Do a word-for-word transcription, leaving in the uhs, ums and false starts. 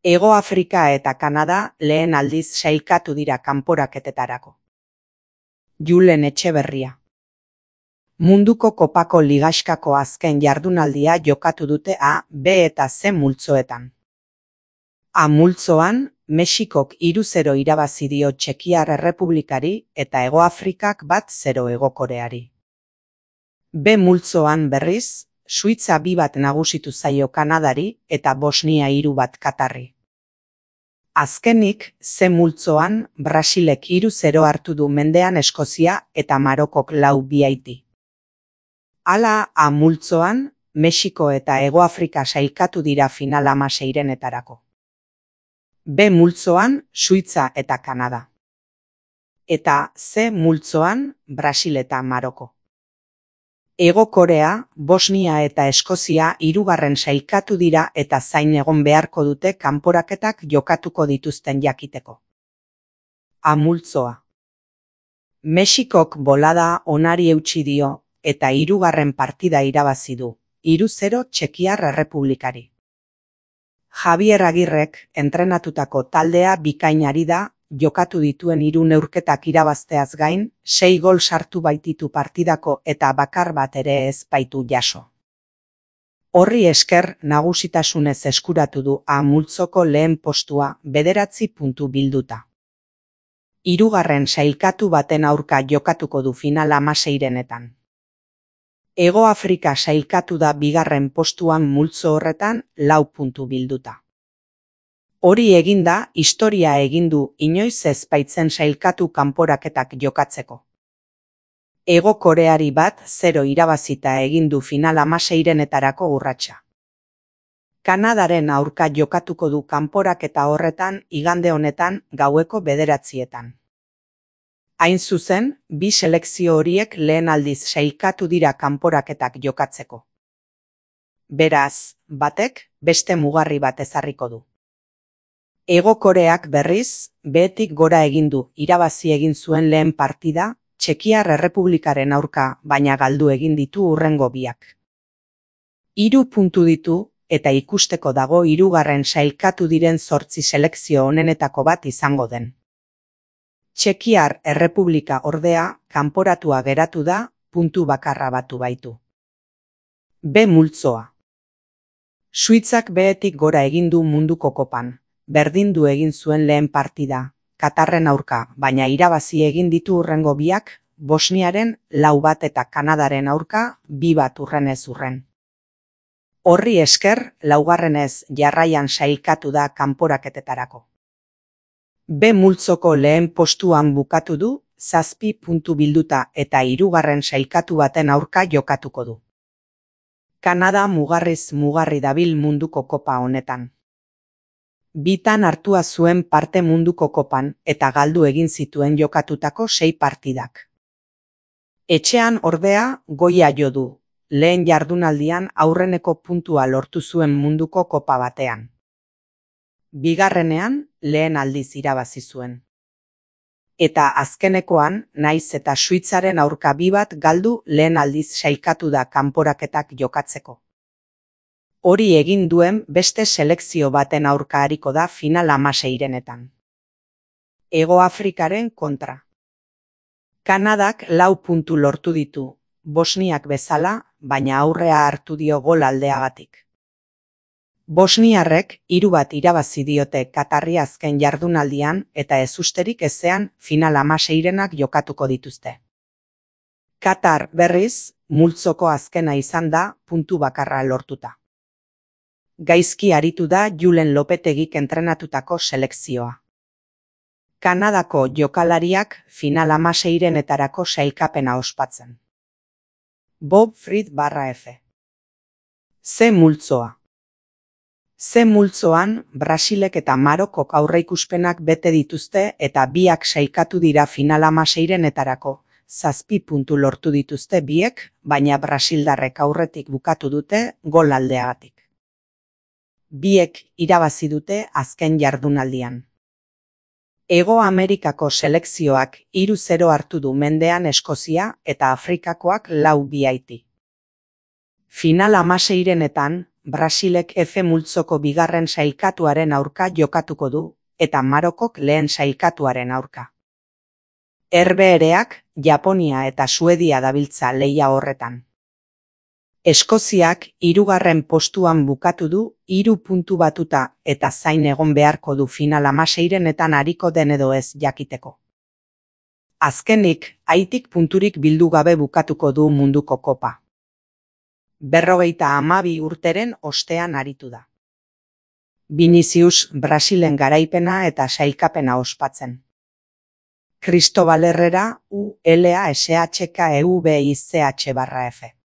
Hego Afrika eta Kanada lehen aldiz sailkatu dira kanporaketetarako. Julen Etxeberria. Munduko kopako ligaxkako azken jardunaldia jokatu dute A, B eta C multzoetan. A multzoan, Mexikok hiru zero irabazi dio Txekiar Errepublikari eta Hego Afrikak bat zero Hego Koreari. B multzoan berriz, Suitza bi bat nagusitu zaio Kanadari eta Bosnia hiru bat Katarri. Azkenik, C multzoan, Brasilek hiru zero hartu du mendean Eskozia eta Marokok lau bi Haiti. Hala, A multzoan, Mexiko eta Hego Afrika sailkatu dira final hamaseirenetarako. B multzoan, Suitza eta Kanada. Eta C multzoan, Brasil eta Maroko. Hego Korea, Bosnia eta Eskozia hirugarren sailkatu dira eta zain egon beharko dute kanporaketak jokatuko dituzten jakiteko. A multzoa. Mexikok bolada onari eutsi dio eta hirugarren partida irabazi du, hiru zero Txekiar Errepublikari. Javier Agirrek entrenatutako taldea bikainari da, jokatu dituen hiru neurketak irabazteaz gain, sei gol sartu baititu partidako eta bakar bat ere ez baitu jaso. Horri esker nagusitasunez eskuratu du A multzoko lehen postua bederatzi puntu bilduta. Hirugarren sailkatu baten aurka jokatuko du final hamaseirenetan. Hego Afrika sailkatu da bigarren postuan multzo horretan lau puntu bilduta. Hori eginda, historia egin du inoiz ez baitzen sailkatu kanporaketak jokatzeko. Hego Koreari bat zero irabazita egin du final hamaseirenetarako urratsa. Kanadaren aurka jokatuko du kanporaketa horretan igande honetan gaueko bederatzietan. Hain zuzen, bi selekzio horiek lehen aldiz sailkatu dira kanporaketak jokatzeko. Beraz, batek beste mugarri bat ezarriko du. Hego Koreak berriz, behetik gora egin du irabazi egin zuen lehen partida, Txekiar Errepublikaren aurka, baina galdu egin ditu hurrengo biak. Hiru puntu ditu eta ikusteko dago hirugarren sailkatu diren zortzi selekzio onenetako bat izango den. Txekiar Errepublika ordea kanporatua geratu da, puntu bakarra batu baitu. B multzoa. Suitzak behetik gora egin du munduko kopan. Berdindu egin zuen lehen partida, Katarren aurka, baina irabazi egin ditu hurrengo biak, Bosniaren lau bat eta Kanadaren aurka bi bat hurrenez hurren. Horri esker, laugarrenez jarraian sailkatu da kanporaketetarako. B multzoko lehen postuan bukatu du, zazpi puntu bilduta eta hirugarren sailkatu baten aurka jokatuko du. Kanada mugarriz mugarri dabil munduko kopa honetan. Bitan hartua zuen parte munduko kopan eta galdu egin zituen jokatutako sei partidak. Etxean ordea goia jo du, lehen jardunaldian aurreneko puntua lortu zuen munduko kopa batean. Bigarrenean lehen aldiz irabazi zuen. Eta azkenekoan, naiz eta Suitzaren aurka bi bat galdu lehen aldiz sailkatu da kanporaketak jokatzeko. Hori egin duen beste selekzio baten aurka ariko da final hamaseirenetan. Hego Afrikaren kontra. Kanadak lau puntu lortu ditu, Bosniak bezala, baina aurrea hartu dio gol aldeagatik. Bosniarrek hiru bat irabazi diote Katarri azken jardunaldian eta ezusterik ezean final hamaseirenak jokatuko dituzte. Katar berriz, multzoko azkena izan da puntu bakarra lortuta. Gaizki aritu da Julen Lopetegik entrenatutako selekzioa. Kanadako jokalariak final hamaseirenetarako sailkapena ospatzen. Bob Fried barra F. C multzoa. C multzoan, Brasilek eta Marokok aurreikuspenak bete dituzte eta biak sailkatu dira final hamaseirenetarako, zazpi puntu lortu dituzte biek, baina brasildarrek aurretik bukatu dute gol aldeagatik. Biek irabazi dute azken jardunaldian. Hego Amerikako selekzioak hiru zero hartu du mendean Eskozia eta Afrikakoak lau bi Haiti. Final hamaseirenetan, Brasilek F multzoko bigarren sailkatuaren aurka jokatuko du, eta Marokok lehen sailkatuaren aurka. Herbehereak, Japonia eta Suedia dabiltza lehia horretan. Eskoziak hirugarren postuan bukatu du, hiru puntu batuta eta zain egon beharko du final hamaseirenetan ariko den edo ez jakiteko. Azkenik, Haitik punturik bildu gabe bukatuko du munduko kopa. Berrogeita hamabi urteren ostean aritu da. Vinicius Brasilen garaipena eta sailkapena ospatzen. Cristóbal Herrera, U L A S H K E V I C H barra F